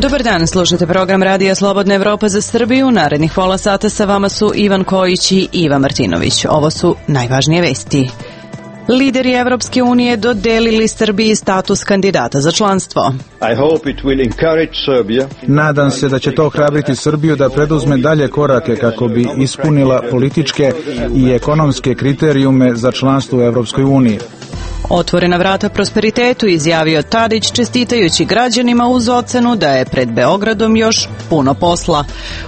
Dobar dan, slušate program Radija Slobodna Evropa za Srbiju. Narednih pola sata sa vama su Ivan Kojić i Iva Martinović. Ovo su najvažnije vesti. Lideri Evropske unije dodelili Srbiji status kandidata za članstvo. Nadam se da će to ohrabriti Srbiju da preduzme dalje korake kako bi ispunila političke i ekonomske kriterijume za članstvo u Evropskoj uniji. Otvorena vrata prosperitetu, izjavio Tadić čestitajući građanima uz ocenu da je pred Beogradom još puno posla.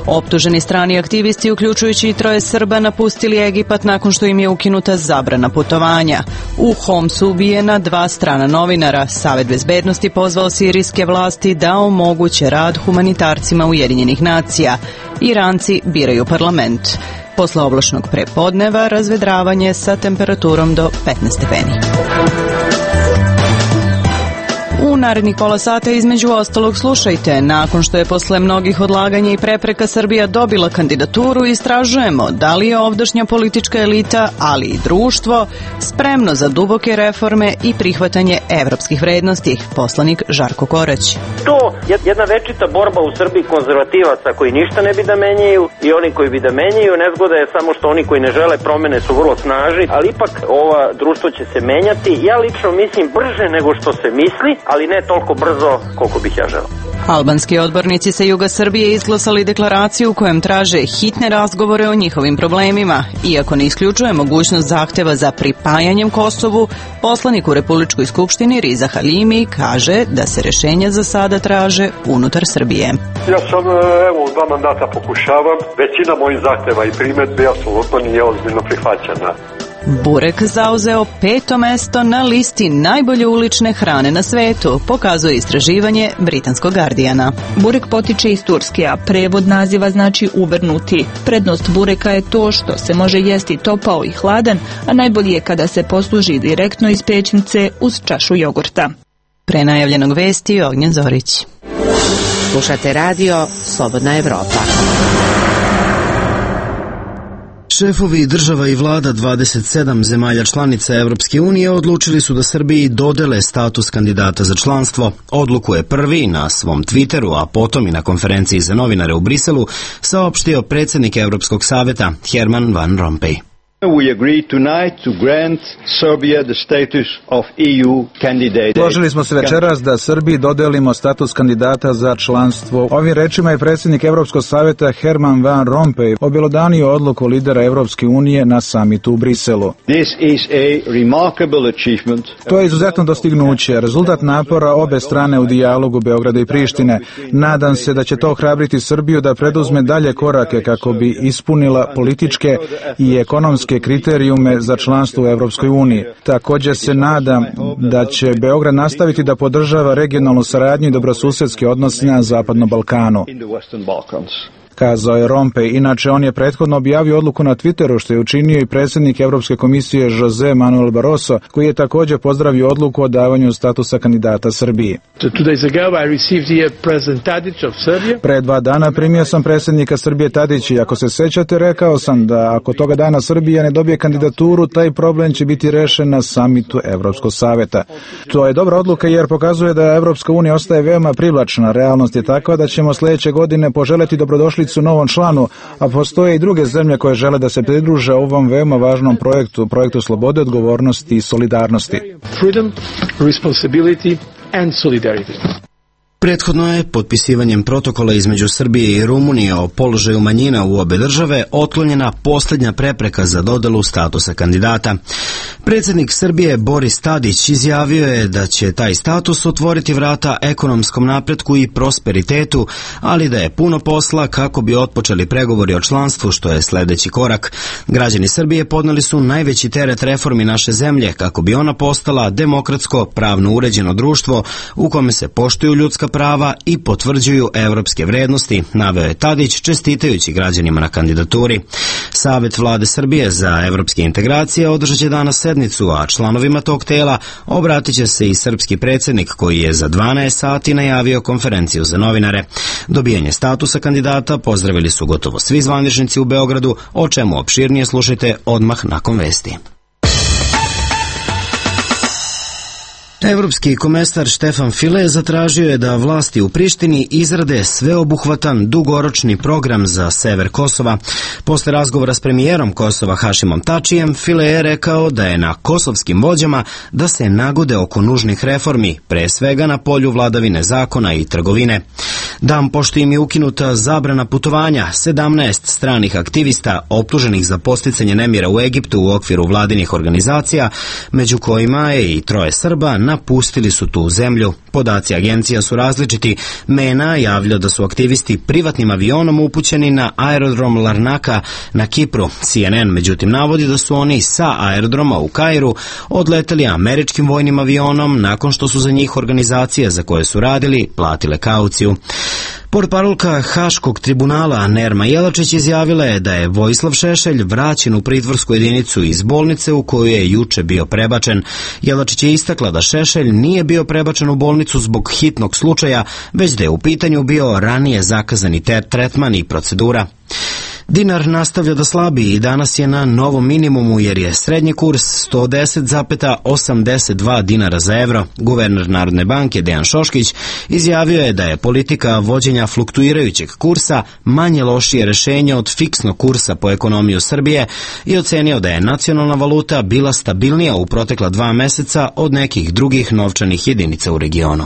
Optuženi strani aktivisti, uključujući i 3 Srba, napustili Egipat nakon što im je ukinuta zabrana putovanja. U Homsu ubijena 2 strana novinara. Savet bezbednosti pozvao sirijske vlasti da omoguće rad humanitarcima Ujedinjenih nacija. Iranci biraju parlament. Posle oblačnog prepodneva razvedravanje sa temperaturom do 15 stepeni. U narednih pola sata između ostalog slušajte. Nakon što je posle mnogih odlaganja i prepreka Srbija dobila kandidaturu, istražujemo da li je ovdašnja politička elita, ali i društvo, spremno za duboke reforme i prihvatanje evropskih vrednosti. Poslanik Žarko Korać. To je jedna večita borba u Srbiji konzervativaca koji ništa ne bi da menjaju i oni koji bi da menjaju. Nezgoda je samo što oni koji ne žele promene su vrlo snažni, ali ipak ova društvo će se menjati. Ja lično mislim brže nego što se misli, ali ne toliko brzo koliko bih ja želeo. Albanski odbornici sa juga Srbije izglasali deklaraciju u kojem traže hitne razgovore o njihovim problemima. Iako ne isključuje mogućnost zahteva za pripajanjem Kosovu, poslanik u Republičkoj skupštini Riza Halimi kaže da se rešenja za sada traže unutar Srbije. Ja sam, u 2 mandata pokušavam, većina mojih zahteva i primedbi apsolutno nije ozbiljno prihvaćena. Burek zauzeo 5. mesto na listi najbolje ulične hrane na svetu, pokazuje istraživanje britanskog Guardiana. Burek potiče iz Turske, a prevod naziva znači uvrnuti. Prednost bureka je to što se može jesti topao i hladan, a najbolje je kada se posluži direktno iz pećnice uz čašu jogurta. Pre najavljenog vesti Ognjen Zorić. Slušate radio Slobodna Evropa. Šefovi država i vlada 27 zemalja članica Evropske unije odlučili su da Srbiji dodele status kandidata za članstvo. Odluku je prvi na svom Twitteru, a potom i na konferenciji za novinare u Briselu saopštio predsjednik Evropskog saveta Herman Van Rompuy. Složili smo se večeras da Srbiji dodelimo status kandidata za članstvo. Ovim rečima je predsjednik Evropskog savjeta Herman Van Rompuy objelodanio odluku lidera Evropske unije na samitu u Briselu. To je izuzetno dostignuće, rezultat napora obe strane u dijalogu Beograda i Prištine. Nadam se da će to ohrabriti Srbiju da preduzme dalje korake kako bi ispunila političke i ekonomske kriterijume za članstvo u Evropskoj uniji. Također se nadam da će Beograd nastaviti da podržava regionalnu saradnju i dobrosusedske odnose na Zapadnom Balkanu, kazao je Rompuy. Inače, on je prethodno objavio odluku na Twitteru, što je učinio i predsjednik Evropske komisije Jose Manuel Barroso, koji je također pozdravio odluku o davanju statusa kandidata Srbiji. Pre 2 dana primio sam predsjednika Srbije Tadića i ako se sećate, rekao sam da ako toga dana Srbija ne dobije kandidaturu, taj problem će biti rešen na samitu Evropskog saveta. To je dobra odluka jer pokazuje da Evropska unija ostaje veoma privlačna. Realnost je takva da ćemo sljedeće godine poželjeti dobrodošlicu novom članu, a postoje i druge zemlje koje žele da se pridruže ovom veoma važnom projektu slobode, odgovornosti i solidarnosti. Freedom, responsibility and solidarity. Prethodno je potpisivanjem protokola između Srbije i Rumunije o položaju manjina u obe države otklonjena posljednja prepreka za dodelu statusa kandidata. Predsjednik Srbije Boris Tadić izjavio je da će taj status otvoriti vrata ekonomskom napretku i prosperitetu, ali da je puno posla kako bi otpočeli pregovori o članstvu, što je sljedeći korak. Građani Srbije podneli su najveći teret reformi naše zemlje kako bi ona postala demokratsko, pravno uređeno društvo u kome se poštuju ljudska prava i potvrđuju evropske vrednosti, naveo je Tadić čestitajući građanima na kandidaturi. Savet vlade Srbije za evropske integracije održat će danas sednicu, a članovima tog tela obratit će se i srpski predsjednik koji je za 12 sati najavio konferenciju za novinare. Dobijanje statusa kandidata pozdravili su gotovo svi zvaničnici u Beogradu, o čemu opširnije slušajte odmah nakon vesti. Evropski komesar Štefan File zatražio je da vlasti u Prištini izrade sveobuhvatan dugoročni program za sever Kosova. Posle razgovora s premijerom Kosova Hašimom Tačijem, File je rekao da je na kosovskim vođama da se nagode oko nužnih reformi, pre svega na polju vladavine zakona i trgovine. Dan pošto im je ukinuta zabrana putovanja, 17 stranih aktivista optuženih za podsticanje nemira u Egiptu u okviru vladinih organizacija, među kojima je i 3 Srba, napustili su tu zemlju. Podaci agencija su različiti. MENA javlja da su aktivisti privatnim avionom upućeni na aerodrom Larnaka na Kipru. CNN međutim navodi da su oni sa aerodroma u Kairu odleteli američkim vojnim avionom nakon što su za njih organizacije za koje su radili platile kauciju. Portparolka Haškog tribunala Nerma Jelačić izjavila je da je Vojislav Šešelj vraćen u pritvorsku jedinicu iz bolnice u koju je juče bio prebačen. Jelačić je istakla da Šešelj nije bio prebačen u bolnicu zbog hitnog slučaja, već da je u pitanju bio ranije zakazani tretman i procedura. Dinar nastavlja da slabi i danas je na novom minimumu jer je srednji kurs 110,82 dinara za evro. Guverner Narodne banke Dejan Šoškić izjavio je da je politika vođenja fluktuirajućeg kursa manje lošije rešenje od fiksnog kursa po ekonomiju Srbije i ocenio da je nacionalna valuta bila stabilnija u protekla 2 meseca od nekih drugih novčanih jedinica u regionu.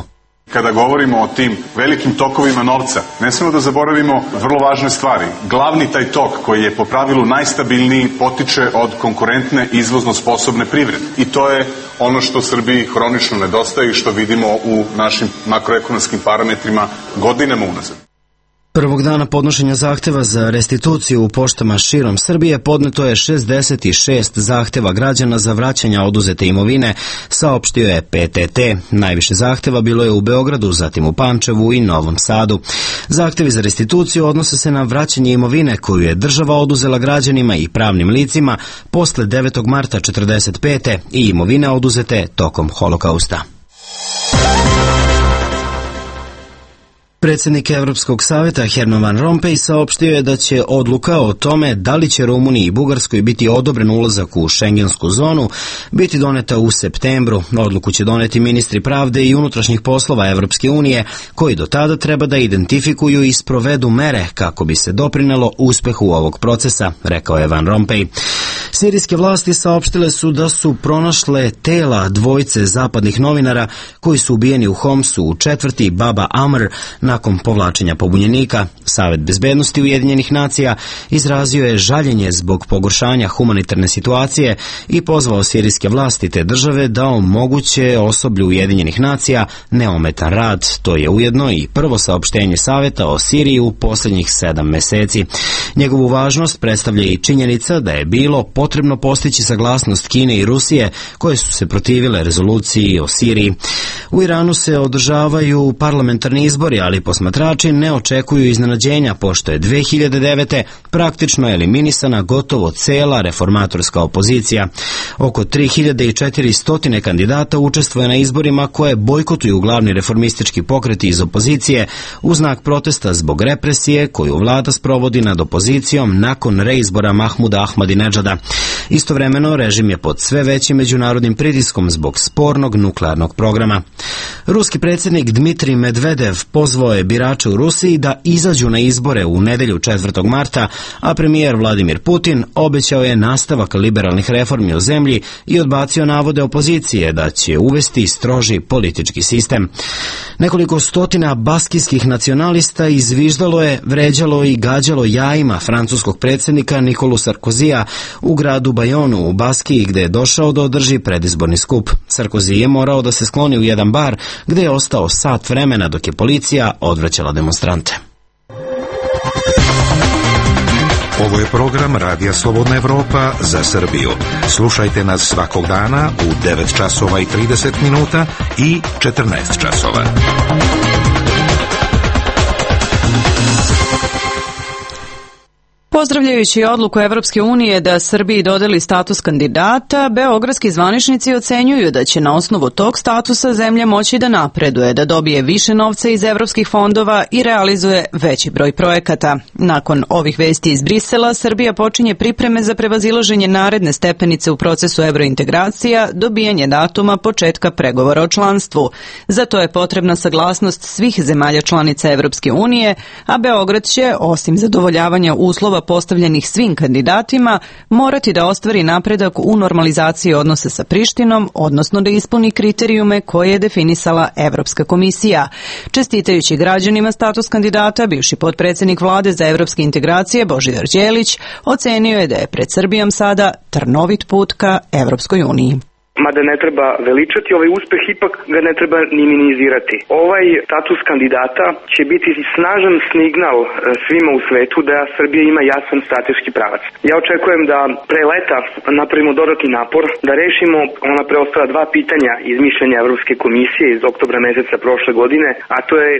Kada govorimo o tim velikim tokovima novca, ne smemo da zaboravimo vrlo važne stvari. Glavni taj tok koji je po pravilu najstabilniji potiče od konkurentne izvozno sposobne privrede. I to je ono što Srbiji hronično nedostaje i što vidimo u našim makroekonomskim parametrima godinama unazad. Prvog dana podnošenja zahteva za restituciju u poštama širom Srbije podneto je 66 zahteva građana za vraćanje oduzete imovine, saopštio je PTT. Najviše zahteva bilo je u Beogradu, zatim u Pančevu i Novom Sadu. Zahtevi za restituciju odnose se na vraćanje imovine koju je država oduzela građanima i pravnim licima posle 9. marta 1945. i imovine oduzete tokom Holokausta. Predsjednik Evropskog savjeta Herman Van Rompuy saopštio je da će odluka o tome da li će Rumuniji i Bugarskoj biti odobren ulazak u šengensku zonu biti doneta u septembru. Odluku će doneti ministri pravde i unutrašnjih poslova Evropske unije, koji do tada treba da identifikuju i sprovedu mere kako bi se doprinelo uspehu ovog procesa, rekao je Van Rompuy. Sirijske vlasti saopštile su da su pronašle tela dvojice zapadnih novinara koji su ubijeni u Homsu u četvrti Baba Amr nakon povlačenja pobunjenika. Savet bezbednosti Ujedinjenih nacija izrazio je žaljenje zbog pogoršanja humanitarne situacije i pozvao sirijske vlasti te države da omoguće osoblju Ujedinjenih nacija neometan rad. To je ujedno i prvo saopštenje Saveta o Siriji u posljednjih 7 meseci. Njegovu važnost predstavlja i činjenica da je bilo potrebno postići saglasnost Kine i Rusije koje su se protivile rezoluciji o Siriji. U Iranu se održavaju parlamentarni izbori, ali posmatrači ne očekuju iznenađenja pošto je 2009. praktično eliminisana gotovo cela reformatorska opozicija. Oko 3400 kandidata učestvuje na izborima koje bojkotuju glavni reformistički pokreti iz opozicije u znak protesta zbog represije koju vlada sprovodi nad opozicijom nakon reizbora Mahmuda Ahmadinedžada. Istovremeno, režim je pod sve većim međunarodnim pritiskom zbog spornog nuklearnog programa. Ruski predsjednik Dmitrij Medvedev pozvao je birače u Rusiji da izađu na izbore u nedelju 4. marta, a premijer Vladimir Putin obećao je nastavak liberalnih reformi u zemlji i odbacio navode opozicije da će uvesti stroži politički sistem. Nekoliko stotina baskijskih nacionalista izviždalo je, vređalo i gađalo jajima francuskog predsjednika Nikolu Sarkozija u gradu Bajonu u Baskiji, gde je došao da održi predizborni skup. Sarkozy je morao da se skloni u jedan bar gde je ostao sat vremena dok je policija odvraćala demonstrante. Ovo je program Radija Slobodna Evropa za Srbiju. Slušajte nas svakog dana u 9 časova i 30 minuta i 14 časova. Pozdravljajući odluku Evropske unije da Srbiji dodeli status kandidata, beogradski zvaničnici ocenjuju da će na osnovu tog statusa zemlja moći da napreduje, da dobije više novca iz evropskih fondova i realizuje veći broj projekata. Nakon ovih vesti iz Brisela, Srbija počinje pripreme za prevazilaženje naredne stepenice u procesu evrointegracija, dobijanje datuma početka pregovora o članstvu. Za to je potrebna saglasnost svih zemalja članica Evropske unije, a Beograd će, osim zadovoljavanja uslova postavljenih svim kandidatima, morati da ostvari napredak u normalizaciji odnosa sa Prištinom, odnosno da ispuni kriterijume koje je definisala Evropska komisija. Čestitajući građanima status kandidata, bivši potpredsjednik vlade za evropske integracije Božidar Đelić ocenio je da je pred Srbijom sada trnovit put ka Evropskoj uniji. Mada ne treba veličati ovaj uspeh, ipak ga ne treba ni minimizirati. Ovaj status kandidata će biti snažan signal svima u svetu da Srbija ima jasan strateški pravac. Ja očekujem da pre leta napravimo dodatni napor, da rešimo ona preostala dva pitanja iz mišljenja Evropske komisije iz oktobra meseca prošle godine, a to je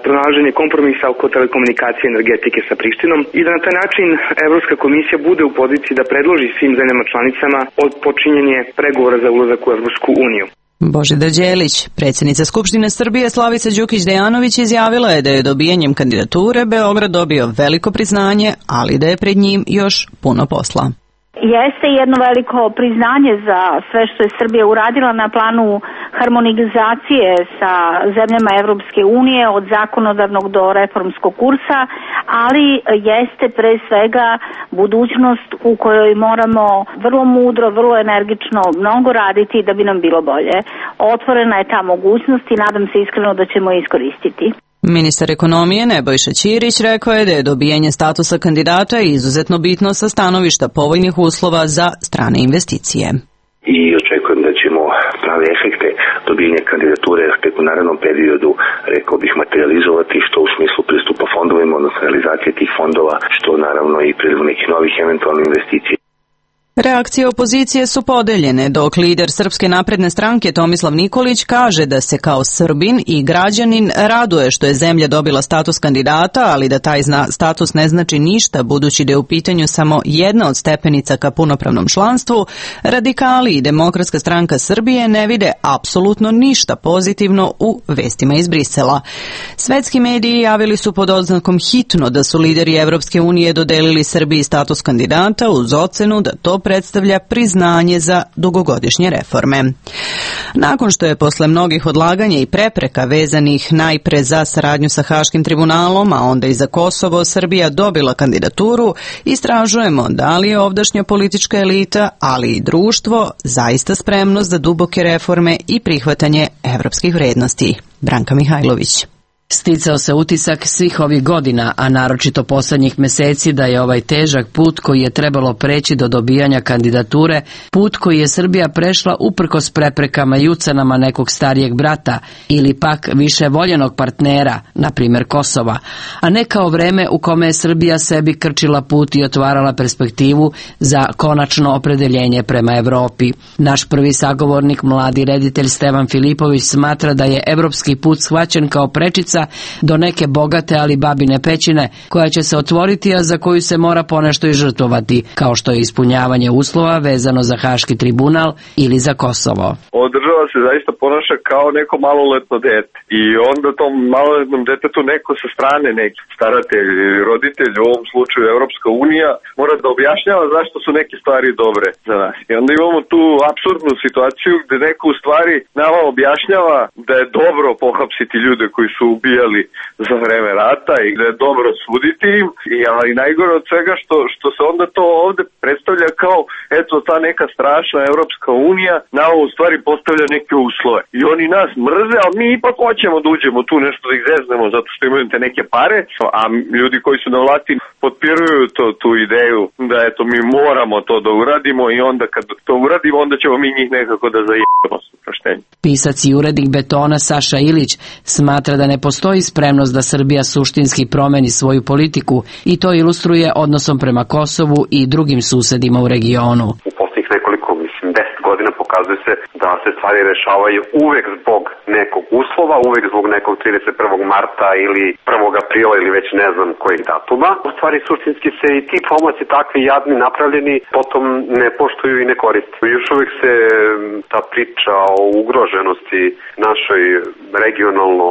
pronalaženje kompromisa oko telekomunikacije i energetike sa Prištinom i da na taj način Evropska komisija bude u poziciji da predloži svim zemljama članicama od počinjenje pregovora za ulazak u Evropsku uniju. Božidar Đelić, predsjednica Skupštine Srbije Slavica Đukić-Dejanović izjavila je da je dobijanjem kandidature Beograd dobio veliko priznanje, ali da je pred njim još puno posla. Jeste jedno veliko priznanje za sve što je Srbija uradila na planu harmonizacije sa zemljama Evropske unije od zakonodavnog do reformskog kursa, ali jeste pre svega budućnost u kojoj moramo vrlo mudro, vrlo energično mnogo raditi da bi nam bilo bolje. Otvorena je ta mogućnost i nadam se iskreno da ćemo je iskoristiti. Ministar ekonomije Nebojša Ćirić rekao je da je dobijanje statusa kandidata izuzetno bitno sa stanovišta povoljnih uslova za strane investicije. I očekujem da ćemo prave efekte dobijanja kandidature tek u narednom periodu, rekao bih, materializovati, što u smislu pristupa fondovima, odnosno realizacije tih fondova, što naravno i priliv nekih novih eventualnih investicija. Reakcije opozicije su podeljene, dok lider Srpske napredne stranke Tomislav Nikolić kaže da se kao Srbin i građanin raduje što je zemlja dobila status kandidata, ali da taj status ne znači ništa budući da je u pitanju samo jedna od stepenica ka punopravnom članstvu. Radikali i Demokratska stranka Srbije ne vide apsolutno ništa pozitivno u vestima iz Brisela. Svetski mediji javili su pod oznakom hitno da su lideri Evropske unije dodelili Srbiji status kandidata uz ocenu da to predstavlja priznanje za dugogodišnje reforme. Nakon što je posle mnogih odlaganja i prepreka vezanih najpre za saradnju sa Haškim tribunalom, a onda i za Kosovo, Srbija dobila kandidaturu, istražujemo da li je ovdašnja politička elita, ali i društvo, zaista spremno za duboke reforme i prihvatanje evropskih vrednosti. Branka Mihajlović. Sticao se utisak svih ovih godina, a naročito poslednjih meseci, da je ovaj težak put koji je trebalo preći do dobijanja kandidature, put koji je Srbija prešla uprkos preprekama i ucenama nekog starijeg brata ili pak više voljenog partnera, na primjer Kosova, a ne kao vreme u kome je Srbija sebi krčila put i otvarala perspektivu za konačno opredeljenje prema Evropi. Naš prvi sagovornik, mladi reditelj Stevan Filipović, smatra da je evropski put shvaćen kao prečica do neke bogate ali babine pećine koja će se otvoriti, a za koju se mora ponešto i žrtvovati, kao što je ispunjavanje uslova vezano za Haški tribunal ili za Kosovo. Država se zaista ponaša kao neko maloletno dete i onda tom maloletnom detetu neko sa strane, neki staratelj ili roditelj, u ovom slučaju Evropska unija, mora da objašnjava zašto su neke stvari dobre za nas. I onda imamo tu apsurdnu situaciju gde neko u stvari nama objašnjava da je dobro pohapsiti ljude koji su ubijali za vreme rata i da je dobro suditi im, ali najgore od svega što se onda to ovde predstavlja kao eto ta neka strašna Evropska unija na ovo u stvari postavlja neke uslove. I oni nas mrze, ali mi ipak hoćemo da uđemo tu nešto da ih zeznemo zato što imaju te neke pare, a ljudi koji su na vlasti potpiruju tu ideju da eto mi moramo to da uradimo i onda kad to uradimo onda ćemo mi njih nekako da zajebamo s oproštenjem. Pisac i urednik Betona Saša Ilić smatra da ne postoji spremnost da Srbija suštinski promeni svoju politiku i to ilustruje odnosom prema Kosovu i drugim susedima u regionu. U posljednjih nekoliko, 10 godina Pokazuje se da se stvari rešavaju uvek zbog nekog uslova, uvek zbog nekog 31. marta ili 1. aprila ili već ne znam kojeg datuma. U stvari suštinski se i ti pomaci takvi jadni napravljeni potom ne poštuju i ne koriste. Još uvek se ta priča o ugroženosti našoj regionalno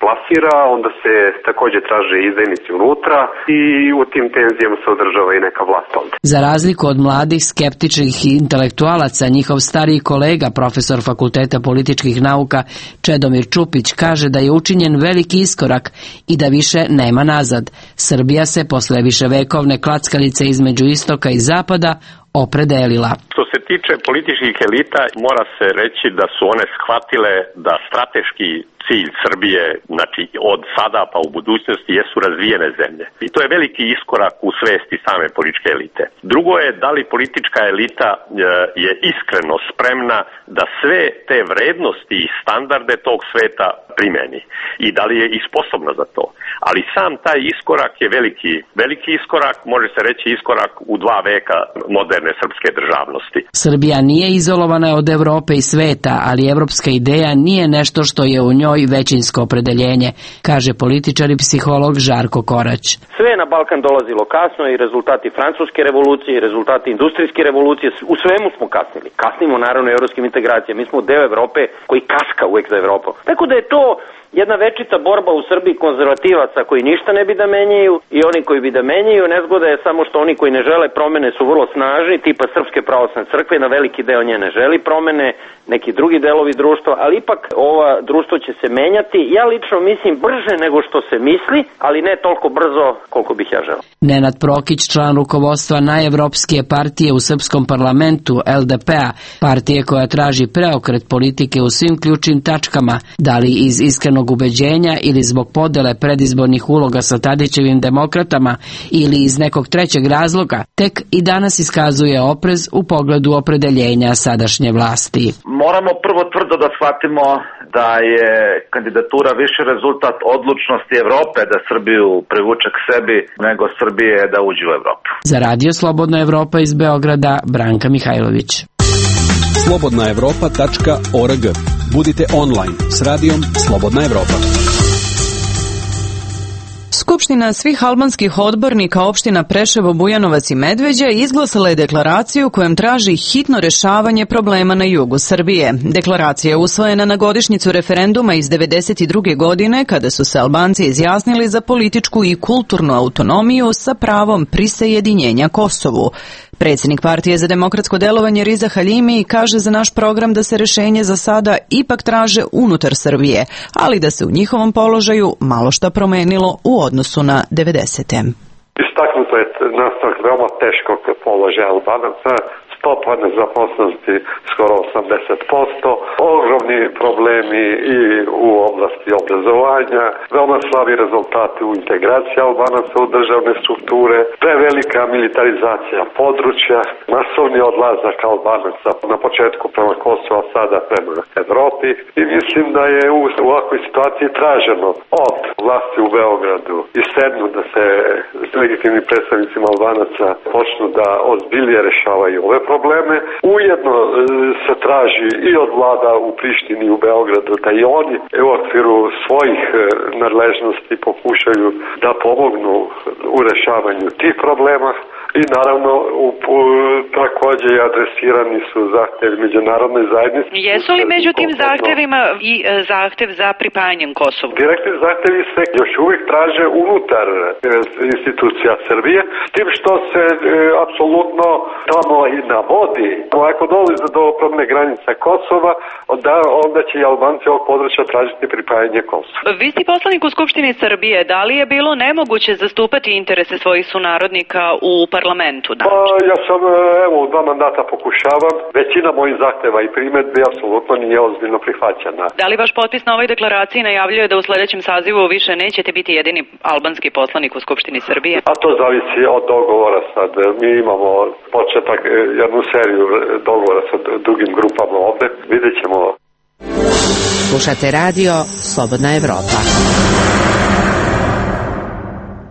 plasira, onda se takođe traže izdajnici unutra i u tim tenzijama se održava i neka vlast ovde. Za razliku od mladih skeptičnih intelektualaca, njihov stariji kolega, profesor Fakulteta političkih nauka Čedomir Čupić, kaže da je učinjen veliki iskorak i da više nema nazad. Srbija se posle viševekovne klackalice između istoka i zapada opredelila. Što se tiče političkih elita, mora se reći da su one shvatile da strateški cilj Srbije, znači od sada pa u budućnosti, jesu razvijene zemlje. I to je veliki iskorak u svesti same političke elite. Drugo je da li politička elita je iskreno spremna da sve te vrednosti i standarde tog sveta primeni i da li je i sposobna za to. Ali sam taj iskorak je veliki iskorak, može se reći iskorak u 2 veka moderne srpske državnosti. Srbija nije izolovana od Evrope i sveta, ali evropska ideja nije nešto što je u njoj većinsko opredeljenje, kaže političar i psiholog Žarko Korać. Sve na Balkan dolazilo kasno i rezultati francuske revolucije i rezultati industrijske revolucije, u svemu smo kasnili. Kasnimo naravno evropskim integracijama, mi smo deo Evrope koji kaska uvek za Evropom. Tako da je to jedna večita borba u Srbiji konzervativaca koji ništa ne bi da menjaju i oni koji bi da menjaju. Nezgoda je samo što oni koji ne žele promene su vrlo snažni, tipa Srpske pravoslavne crkve, na veliki deo nje ne želi promene, neki drugi delovi društva, ali ipak ova društvo će se menjati. Ja lično mislim brže nego što se misli, ali ne toliko brzo koliko bih ja želeo. Nenad Prokić, član rukovodstva najevropskije partije u srpskom parlamentu, LDP-a, partije koja traži preokret politike u svim ključnim tačkama, da li iz iskrenog ubeđenja ili zbog podele predizbornih uloga sa Tadićevim demokratama ili iz nekog trećeg razloga, tek i danas iskazuje oprez u pogledu opredeljenja sadašnje vlasti. Moramo prvo tvrdo da shvatimo da je kandidatura više rezultat odlučnosti Evrope da Srbiju privuče k sebi nego Srbije da uđe u Evropu. Za Radio Slobodna Evropa iz Beograda, Branka Mihajlović. slobodnaevropa.org. Budite online s radijom Slobodna Evropa. Skupština svih albanskih odbornika opština Preševo, Bujanovac i Medveđa izglasala je deklaraciju kojom traži hitno rešavanje problema na jugu Srbije. Deklaracija je usvojena na godišnjicu referenduma iz 1992. godine kada su se Albanci izjasnili za političku i kulturnu autonomiju sa pravom prisajedinjenja Kosovu. Predsjednik Partije za demokratsko delovanje Riza Haljimi kaže za naš program da se rešenje za sada ipak traže unutar Srbije, ali da se u njihovom položaju malo šta promenilo u odnosu na 90. Istaknuto je nastavak veoma teškog položaja Albanaca, stopa nezaposlenosti skoro 80%, ogromni problemi i u oblasti obrazovanja, veoma slabi rezultati u integraciji Albanaca u državne strukture, prevelika militarizacija područja, masovni odlazak Albanaca na početku prema Kosovu, a sada prema Evropi. I mislim da je u ovakvoj situaciji traženo od vlasti u Beogradu i sednu da se s legitimnim predstavnicima Albanaca počnu da ozbiljnije rešavaju ove probleme. Ujedno se traži i od vlada u Prištini i u Beogradu da i oni u okviru svojih nadležnosti pokušaju da pomognu u rešavanju tih problema. I naravno takođe i adresirani su zahtevi međunarodne zajednice. Jesu li među tim zahtevima i zahtev za pripajanjem Kosovu? Direktni zahtevi se još uvijek traže unutar institucija Srbije, s tim što se apsolutno tamo i navodi. Ako dolazi do promene granica Kosova, onda će i Albanci ovog područja tražiti pripajanje Kosova. Vi ste poslanik u Skupštini Srbije. Da li je bilo nemoguće zastupati interese svojih sunarodnika u parlamentu? Ja sam, u 2 mandata pokušavam. Većina mojih zahteva i primedbi apsolutno nije ozbiljno prihvaćena. Da li vaš potpis na ovoj deklaraciji najavljuje da u sledećem sazivu više nećete biti jedini albanski poslanik u Skupštini Srbije? A to zavisi od dogovora sad. Mi imamo početak, jednu seriju dogovora sa drugim grupama ovde. Vidjet ćemo. Slušate radio Slobodna Evropa.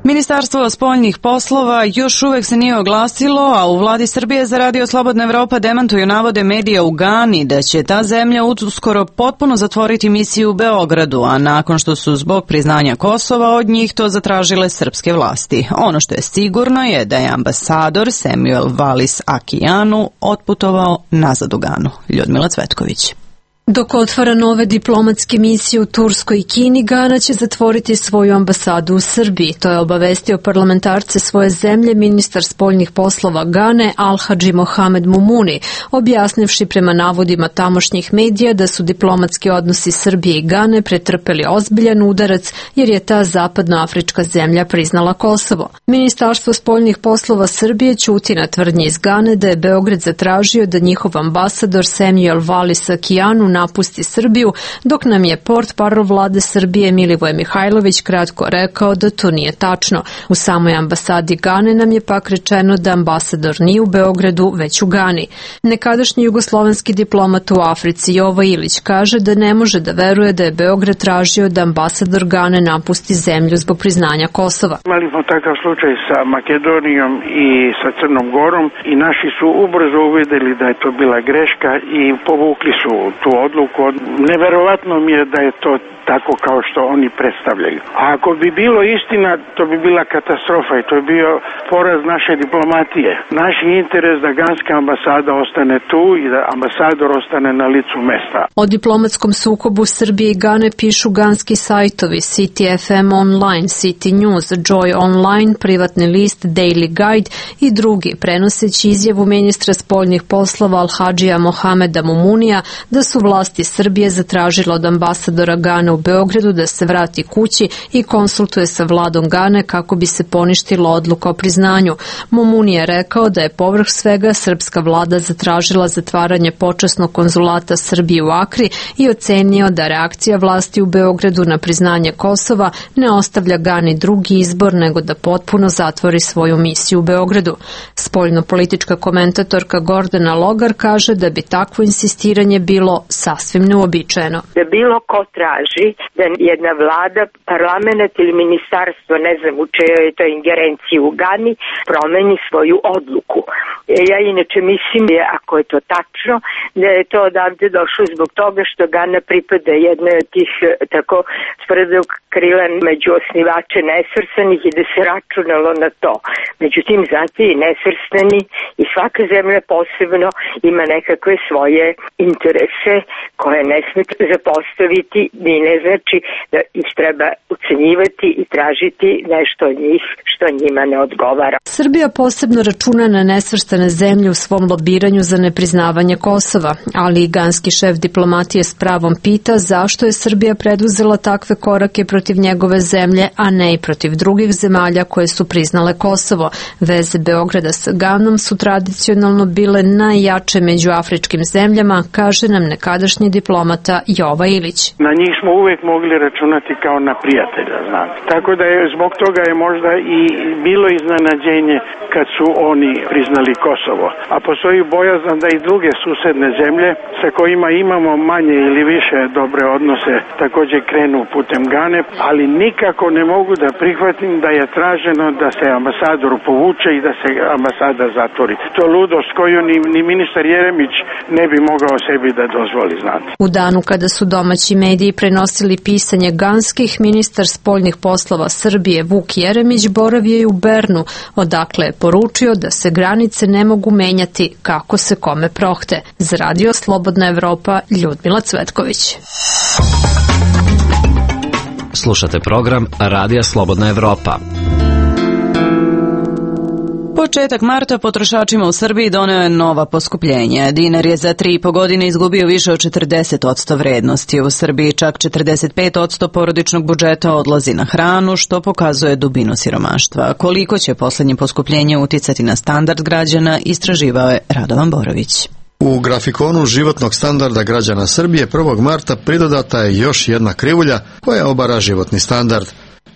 Ministarstvo spoljnih poslova još uvek se nije oglasilo, a u vladi Srbije za Radio Slobodna Evropa demantuju navode medija u Gani da će ta zemlja uskoro potpuno zatvoriti misiju u Beogradu, a nakon što su zbog priznanja Kosova od njih to zatražile srpske vlasti. Ono što je sigurno je da je ambasador Samuel Valis Akijanu otputovao nazad u Ganu. Ljudmila Cvetković. Dok otvara nove diplomatske misije u Turskoj i Kini, Gana će zatvoriti svoju ambasadu u Srbiji. To je obavestio parlamentarce svoje zemlje ministar spoljnih poslova Gane Al-Hadži Mohamed Mumuni, objasnivši prema navodima tamošnjih medija da su diplomatski odnosi Srbije i Gane pretrpeli ozbiljan udarac jer je ta zapadnoafrička zemlja priznala Kosovo. Ministarstvo spoljnih poslova Srbije ćuti na tvrdnji iz Gane da je Beograd zatražio da njihov ambasador Samuel Valis Akijanu napusti Srbiju, dok nam je portparol vlade Srbije Milivoje Mihajlović kratko rekao da to nije tačno. U samoj ambasadi Gane nam je pak rečeno da ambasador nije u Beogradu, već u Gani. Nekadašnji jugoslovenski diplomat u Africi Jovo Ilić kaže da ne može da veruje da je Beograd tražio da ambasador Gane napusti zemlju zbog priznanja Kosova. Imali smo takav slučaj sa Makedonijom i sa Crnom Gorom i naši su ubrzo uvideli da je to bila greška i povukli su tu odluku. Neverovatno mi je da je to tako kao što oni predstavljaju. A ako bi bilo istina, to bi bila katastrofa i to je bio poraz naše diplomatije. Naš interes da ganska ambasada ostane tu i da ambasador ostane na licu mesta. O diplomatskom sukobu Srbije i Gane pišu ganski sajtovi City FM Online, City News, Joy Online, privatni list Daily Guide i drugi, prenoseći izjavu ministra spoljnih poslova Al-Hadžija Mohameda Mumunija da su vlasti Srbije zatražile od ambasadora Gane u Beogradu da se vrati kući i konsultuje sa vladom Gane kako bi se poništila odluka o priznanju. Mumuni je rekao da je povrh svega srpska vlada zatražila zatvaranje počasnog konzulata Srbije u Akri i ocenio da reakcija vlasti u Beogradu na priznanje Kosova ne ostavlja Gani drugi izbor nego da potpuno zatvori svoju misiju u Beogradu. Spoljno-politička komentatorka Gordana Logar kaže da bi takvo insistiranje bilo sasvim neuobičajeno. Da bilo ko traži da jedna vlada, parlament ili ministarstvo, ne znam u čejoj je to ingerenciji u Gani, promeni svoju odluku. Ja inače mislim, ako je to tačno, da je to odavde došlo zbog toga što Gana pripada jednoj od tih tako tvrdog krila među osnivače nesvrstanih i da se računalo na to. Međutim, zato i nesvrstani i svaka zemlja posebno ima nekakve svoje interese koje ne sme zapostaviti, ni ne znači da ih treba ucenjivati i tražiti nešto od njih što njima ne odgovara. Srbija posebno računa na nesvrstane zemlje u svom lobiranju za nepriznavanje Kosova, ali i ganski šef diplomatije s pravom pita zašto je Srbija preduzela takve korake protiv njegove zemlje, a ne i protiv drugih zemalja koje su priznale Kosovo. Veze Beograda sa Ganom su tradicionalno bile najjače među afričkim zemljama, kaže nam nekadašnji diplomata Jova Ilić. Na njih smo uvek mogli računati kao na prijatelja, znate. Tako da je zbog toga je možda i bilo iznenađenje kad su oni priznali Kosovo. A postoji bojazan da i druge susedne zemlje sa kojima imamo manje ili više dobre odnose također krenu putem Gane, ali nikako ne mogu da prihvatim da je traženo da se ambasador povuče i da se ambasada zatvori. To je ludost koju ni ministar Jeremić ne bi mogao sebi da dozvoli, znate. U danu kada su domaći mediji prenosili pisanje ganskih, ministar spoljnih poslova Srbije Vuk Jeremić boravio je u Bernu, odakle je poručio da se granice ne mogu menjati kako se kome prohte. Za Radio Slobodna Evropa, Ljudmila Cvetković. Slušate program Radija Slobodna Evropa. Početak marta potrošačima u Srbiji doneo je nova poskupljenja. Dinar je za 3,5 godine izgubio više od 40% vrednosti. U Srbiji čak 45% porodičnog budžeta odlazi na hranu, što pokazuje dubinu siromaštva. Koliko će poslednje poskupljenje uticati na standard građana, istraživao je Radovan Borović. U grafikonu životnog standarda građana Srbije 1. marta pridodata je još jedna krivulja koja obara životni standard.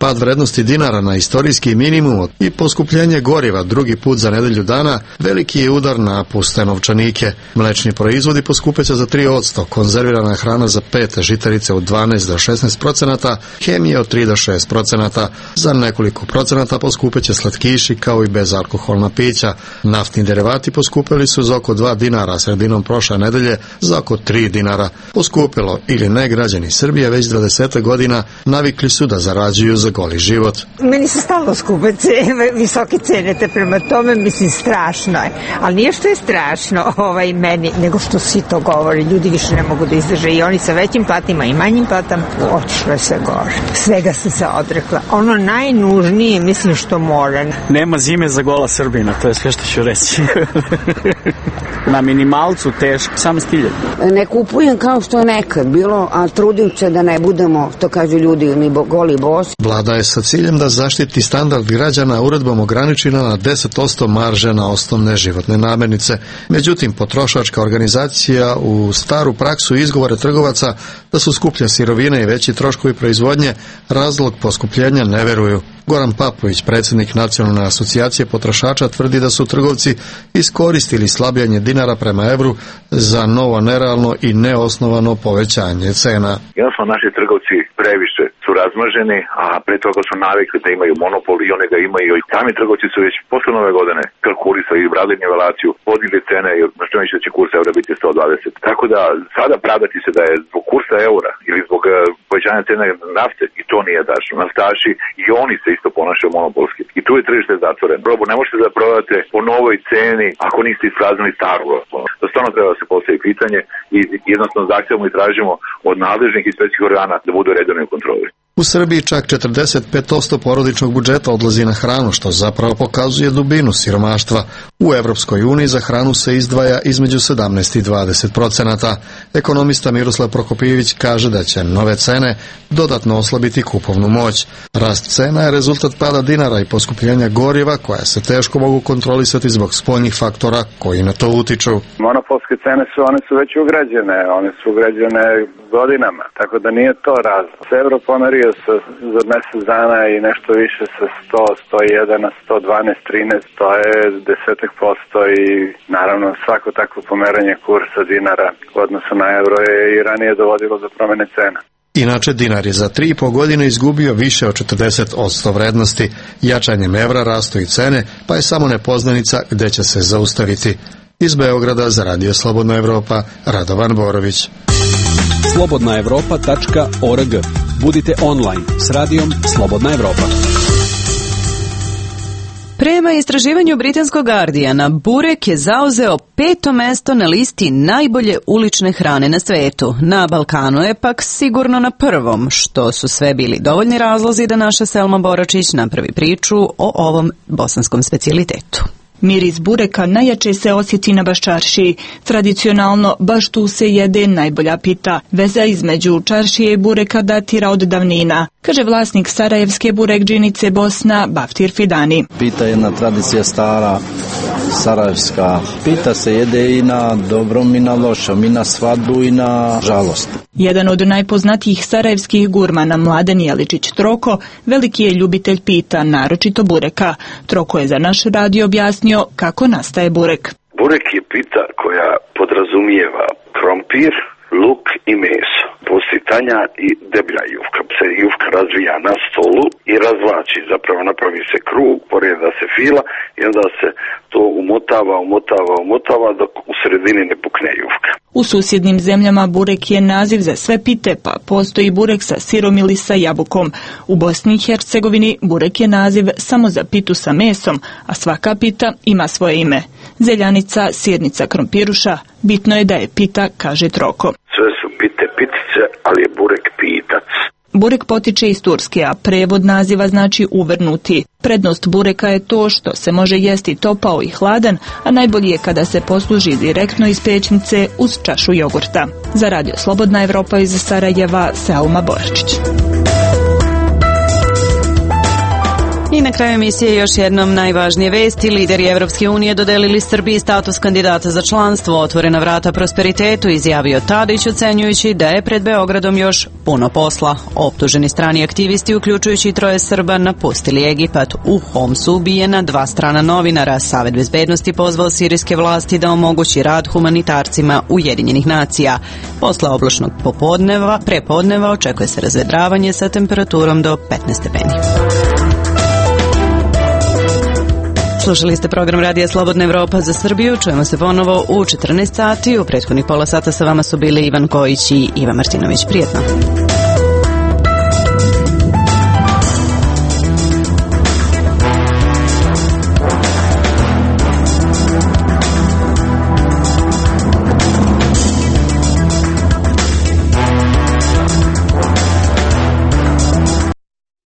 Pad vrednosti dinara na istorijski minimum i poskupljenje goriva drugi put za nedelju dana veliki je udar na puste novčanike. Mlečni proizvodi poskupeće za 3%, konzervirana hrana za 5%, žitarice od 12 do 16%, hemija od 3 do 6%. Za nekoliko procenata poskupeće slatkiši kao i bezalkoholna pića. Naftni derivati poskupili su za oko 2 dinara, sredinom prošle nedelje za oko 3 dinara. Poskupilo ili ne, građani Srbije već 20 godina navikli su da zarađuju za goli život. Meni se stalno skupe visoke cene, te prema tome mislim strašno je. Ali nije što je strašno meni, nego što svi to govori. Ljudi više ne mogu da izdrže i oni sa većim platima i manjim platama. Otišlo je sve gore. Svega sam se odrekla. Ono najnužnije mislim što mora. Nema zime za gola Srbina, to je sve što ću reći. Na minimalcu teško, sam stilje. Ne kupujem kao što je nekad bilo, a trudim se da ne budemo, to kažu ljudi, ni goli bosi. Vlada je sa ciljem da zaštiti standard građana uredbom ograničena na 10% marže na osnovne životne namirnice. Međutim, potrošačka organizacija u staru praksu izgovore trgovaca da su skuplje sirovine i veći troškovi proizvodnje razlog poskupljenja ne veruju. Goran Papović, predsjednik Nacionalne asocijacije potrošača, tvrdi da su trgovci iskoristili slabljanje dinara prema evru za novo nerealno i neosnovano povećanje cena. Jednostavno naši trgovci previše su razmaženi, a pre toga su navikli da imaju monopol i one ga imaju. Sami trgovci su već posle nove godine kalkulisali i bradili nivelaciju, podigli cene i što će kurs evra biti 120. Tako da sada pravdati se da je zbog kursa eura ili zbog povećanja cene nafte, i to nije tačno. Naftaši i oni se isto ponašaju monopolski. I tu je tržište zatvoreno. Robu ne možete da prodate po novoj ceni ako niste ispraznili staru robu. To stvarno treba da se postavi pitanje i jednostavno zahtevamo i tražimo od nadležnih inspekcijskih organa da budu redovni u kontroli. U Srbiji čak 45% porodičnog budžeta odlazi na hranu, što zapravo pokazuje dubinu siromaštva. U Evropskoj uniji za hranu se izdvaja između 17 i 20%. Ekonomista Miroslav Prokopijević kaže da će nove cene dodatno oslabiti kupovnu moć. Rast cena je rezultat pada dinara i poskupljenja goriva koja se teško mogu kontrolisati zbog spoljnih faktora koji na to utiču. Monopolske cene one su već ugrađene, one su ugrađene godinama, tako da nije to razlog. Se evro pomerio za mjesec dana i nešto više sa 100, 101 na 112, 13, to je 10% i naravno svako takvo pomeranje kursa dinara u odnosu na euro je i ranije dovodilo do promjene cena. Inače, dinar je za 3,5 godine izgubio više od 40% vrednosti. Jačanjem evra rastu i cene, pa je samo nepoznanica gde će se zaustaviti. Iz Beograda za Radio Slobodna Evropa, Radovan Borović. slobodnaevropa.org. Budite online s radijom Slobodna Evropa. Prema istraživanju britanskog Guardiana, burek je zauzeo 5. mesto na listi najbolje ulične hrane na svetu. Na Balkanu je pak sigurno na prvom, što su sve bili dovoljni razlozi da naša Selma Boračić napravi priču o ovom bosanskom specijalitetu. Miris bureka najjače se osjeti na Baščaršiji. Tradicionalno, baš tu se jede najbolja pita. Veza između čaršije i bureka datira od davnina, kaže vlasnik sarajevske burekdžinice Bosna, Baftir Fidani. Pita je jedna tradicija stara, sarajevska. Pita se jede i na dobrom i na lošom, i na svadbu i na žalost. Jedan od najpoznatijih sarajevskih gurmana, Mladen Jeličić Troko, veliki je ljubitelj pita, naročito bureka. Troko je za naš radio objasnio kako nastaje burek. Burek je pita koja podrazumijeva krompir, luk i meso. Postoji tanja i deblja jufka. Se jufka razvija na stolu i razvlači, zapravo napravi se krug, poreda se fila i onda se to umotava dok u sredini ne pukne jufka. U susjednim zemljama burek je naziv za sve pite, pa postoji burek sa sirom ili sa jabukom. U Bosni i Hercegovini burek je naziv samo za pitu sa mesom, a svaka pita ima svoje ime. Zeljanica, sirnica, krompiruša, bitno je da je pita, kaže Troko. Sve su pite pitice, ali je burek pitac. Burek potiče iz Turske, a prevod naziva znači uvrnuti. Prednost bureka je to što se može jesti topao i hladan, a najbolje je kada se posluži direktno iz pećnice uz čašu jogurta. Za Radio Slobodna Evropa iz Sarajeva, Selma Boračić. I na kraju emisije još jednom najvažnije vesti. Lideri Evropske unije dodelili Srbiji status kandidata za članstvo. Otvorena vrata prosperitetu, izjavio Tadić, ocenjujući da je pred Beogradom još puno posla. Optuženi strani aktivisti, uključujući i 3 Srba, napustili Egipat. U Homsu ubijena 2 strana novinara. Savet bezbednosti pozvao sirijske vlasti da omogući rad humanitarcima Ujedinjenih nacija. Posle oblačnog prepodneva očekuje se razvedravanje sa temperaturom do 15 stepeni. Slušali ste program Radija Slobodna Evropa za Srbiju. Čujemo se ponovo u 14 sati. U prethodnih pola sata sa vama su bili Ivan Kojić i Iva Martinović. Prijetno.